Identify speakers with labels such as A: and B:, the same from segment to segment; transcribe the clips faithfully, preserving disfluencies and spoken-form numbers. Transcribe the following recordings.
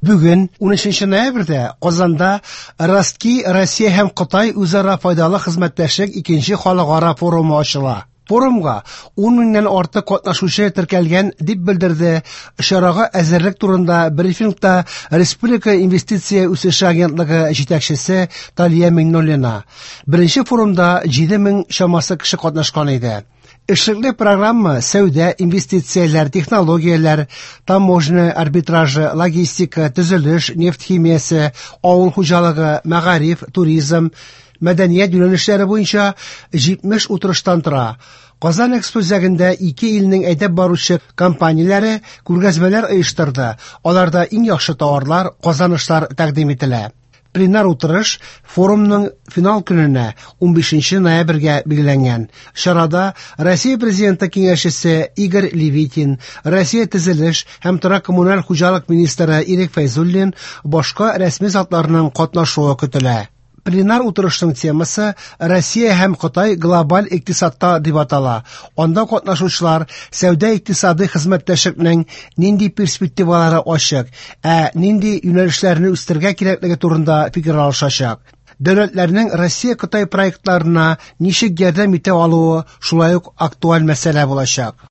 A: Бүген унөченче ноябрьдә Казанда Ростки Россия һәм Кытай үзара файдалы хезмәттәшлек икенче халыкара форумы ачыла. Форумга ун меңнән артык катнашучы теркәлгән, дип белдерде чарага әзерлек турында брифингта Республика инвестиция үсеше агентлыгы җитәкчесе Талия Миңнуллина. Беренче форумда җиде мең чамасы кеше катнашкан иде. Эшлекле программа сәүдә, инвестицияләр, технологияләр, таможня арбитражы, логистика, төзелеш, нефть химиясе, авыл хуҗалыгы, мәгариф, туризм, мәдәният юнәлешләре буенча җитмеш утырыштан тора. Казан Экспо үзәгендә ике илнең әйдәп баручы компанияләре күргәзмәләр оештырды. Аларда иң яхшы товарлар, казанышлар тәкъдим ителә. Пленар утырыш форумның финал көненә унбишенче ноябрьгә билгеләнгән. Чарада Россия Президенты киңәшчесе Игорь Левитин, Россия төзелеш һәм торак коммуналь хуҗалык министры Ирек Фәйзуллин, башка рәсми затларның катнашуы көтелә. Пленар утырышның темасы Россия һәм Кытай глобаль икътисадта дип атала. Анда катнашучылар сәүдә икътисади хезмәттәшлекнең нинди перспективалары ачык, ә нинди юнәлешләрне үстерергә кирәклеге турында фикер алышачак. Дәүләтләрнең Россия-Кытай проектларына ничек ярдәм итә алуы шулай ук актуаль мәсьәлә булачак.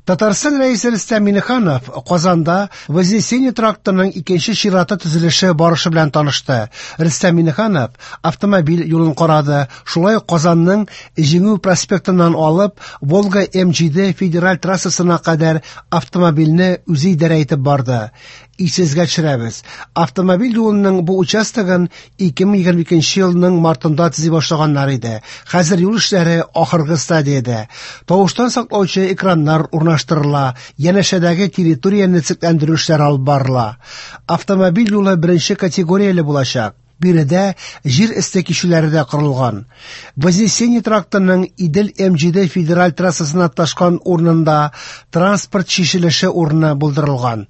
A: Татарстан Рәисе Рөстәм Миңнеханов Казанда Вознесение трактының икенче чираты төзелеше барышы белән танышты. Рөстәм Миңнеханов автомобиль юлын карады, шулай ук Казанның Җиңү проспектыннан алып Волга М җиде федераль трассасына кадәр автомобильне үзе идарә итеп барды. Исегезгә төшерәбез, автомобиль юлының бу участогын ике мең егерме икенче елның мартында төзи башлаганнар иде. Хәзер юл эшләре ахыргы стадиядә. Тавыштан саклаучы экраннар урнаштырыла, янәшәдәге территорияне төзекләндерү эшләре алып барыла. Автомобиль юлы беренче категорияле булачак. Биредә җир өсте кичүләре дә корылган. Вознесение трактының Идел М җиде федераль трассасына ташкан урынында транспорт чишелеше урыны булдырылган.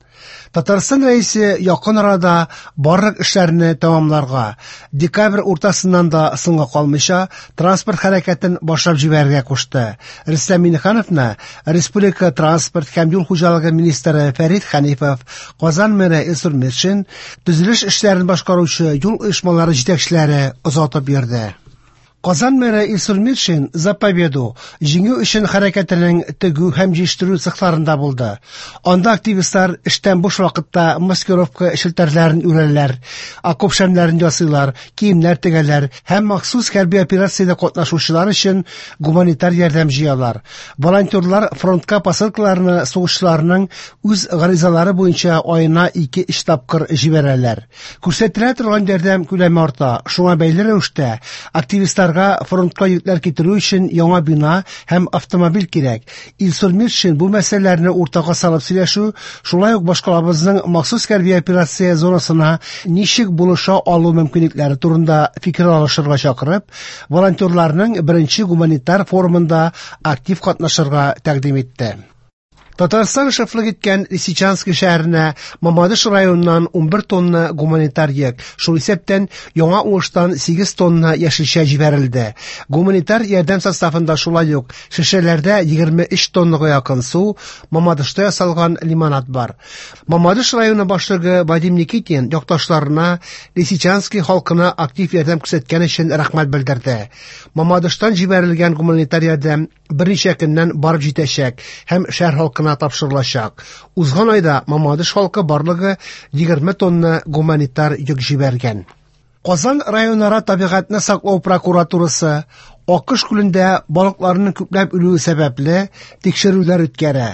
A: Татарстан Рәисе якын арада барлык эшләрне тәмамларга, декабрь уртасыннан да соңга калмыйча транспорт хәрәкәтен башлап җибәрергә кушты. Рөстәм Миңнехановны Республика транспорт һәм юл хуҗалыгы министры Фәрит Хәнифов, Казан мэры Илсур Метшин, төзелеш эшләрен башкаручы юл оешмалары җитәкчеләре озатып йөрде. Казан мэры Илсур Метшин За победу җиңү өчен хәрәкәтенең тегү һәм җыештыру цехларында булды. Анда активистлар эштән буш вакытта маскировка челтәрләрен үрәләр, окоп шәмнәрен ясыйлар, киемнәр тегәләр һәм махсус хәрби операциядә катнашучылар өчен гуманитар ярдәм җыялар. Волонтерлар фронтка посылкаларны сугышчыларның үз гаризалары буенча аена ике-өч тапкыр җибәрәләр. Күрсәтелә торган ярдәм күләме арта. Шуңа бәйле рәвештә активистлар фронтка йөкләр китерү өчен яңа бина һәм автомобиль кирәк. Илсур Метшин бу мәсьәләләрне уртага салып сөйләшү, шулай ук башкалабызның махсус хәрби операция зонасына ничек булыша алу мөмкинлекләре турында фикер алышырга чакырып, волонтерларның беренче гуманитар форумында актив катнашырга тәкъдим итте. Татарстан шефлык иткән Лисичанск шәһәренә Мамадыш районыннан унбер тонна гуманитар йөк, шул исәптән яңа уңыштан сигез тонна яшелчә җибәрелде. Гуманитар ярдәм составында шулай ук шешәләрдә егерме өч тоннага якын су, Мамадышта ясалган лимонад бар. Мамадыш районы башлыгы Вадим Никитин якташларына Лисичанский халкына актив ярдәм күрсәткән өчен рәхмәт белдерде. Мамадыштан җибәрелгән гуманитар ярдәм берничә көннән барып җитәчәк һәм шәһәр халкына тапшырылачак. Узган айда Мамадыш халкы барлыгы егерме тонна гуманитар йөк җибәргән. Казан районара табигатьне саклау прокуратурасы Акыш күлендә балыкларның күпләп үлүе сәбәпле тикшерүләр үткәрә.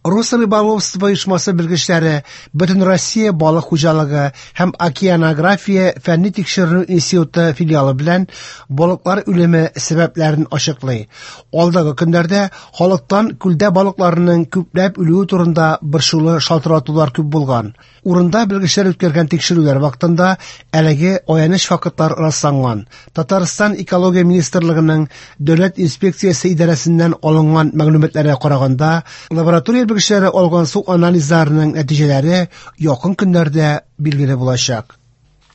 A: Росрыболовство оешмасы белгечләре Бөтен Россия балык хуҗалыгы һәм океанография фәнни тикшеренү институты филиалы белән балыклар үлеме сәбәпләрен ачыклый. Алдагы көннәрдә халыктан күлдә балыкларның күпләп үлүе турында борчулы шалтыратулар күп булган. Урында белгечләр үткәргән тикшерүләр вакытында әлеге аяныч фактлар расланган. Татарстан Экология министрлыгының Дәүләт инспекциясе идарәсеннән алынган мәгълүматларга караганда, лаборатория белгечләре алган су анализларының нәтиҗәләре якын көннәрдә билгеле булачак.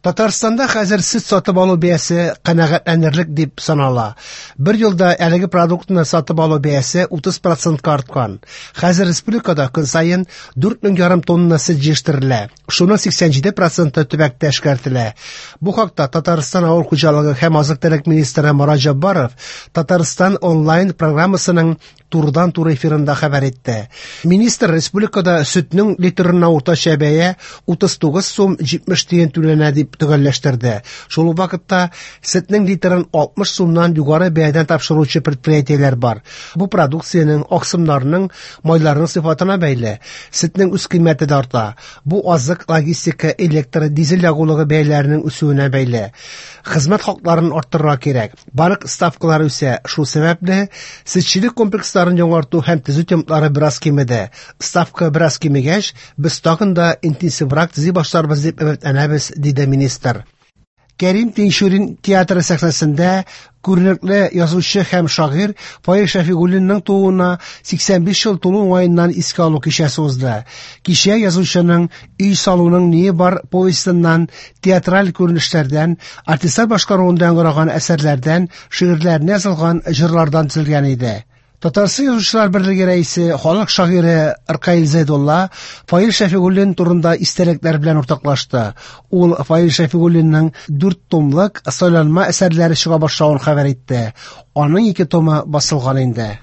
A: Татарстанда хәзер сөт сатып алу бәясе канәгатьләнерлек дип санала. Бер елда әлеге продуктны сатып алу бәясе утыз процентка арткан. Хәзер республикада көн саен дүрт мең ярым тонна сөт җитештерелә. Шуның сиксән җиде проценты төбәктә эшкәртелә. Бу хакта Татарстан авыл хуҗалыгы һәм азык-төлек министры Марат Җаббаров Татарстан онлайн программасының турыдан-туры эфирында хәбәр итте. Министр республикада сөтнең литрына уртача бәя утыз тугыз сум җитмеш тиен түләнә дип төгәлләштерде. Шул ук вакытта сөтнең литрын алтмыш сумнан югары бәядән тапшыручы предприятиеләр бар. Бу продукциянең, аксымнарның, майларның сыйфатына бәйле. Сөтнең үз кыйммәте дә арта. Бу азык, логистика, электр, дизель ягулыгы бәяләренең үсүенә бәйле. Хезмәт хакларын арттырырга кирәк. Банк ставкалары үсә. Шул сәбәпле сөтчелек комплексларын яңарту һәм төзү темплары бераз кимеде. Ставка бераз кимегәч, без тагын да интенсиврак төзи башларбыз дип өметләнәбез, диде министр. Кәрим Тинчурин театры сәхнәсендә күренекле язучы һәм шагыйрь Фаил Шәфигуллинның тууына сиксән биш ел тулу уңаеннан искә алу кичәсе узды. Кичә язучының Өй салуның ние бар повестеннан, театраль күренешләрдән, артистлар башкаруында яңгыраган әсәрләрдән, шигырьләренә язылган җырлардан төзелгән иде. Татарстан Язучылар берлеге рәисе, халык шагыйре Ркаил Зәйдулла Фаил Шәфигуллин турында истәлекләр белән уртаклашты. Ул Фаил Шәфигуллинның дүрт томлык сайланма әсәрләре чыга башлавын хәбәр итте. Аның ике томы басылган инде.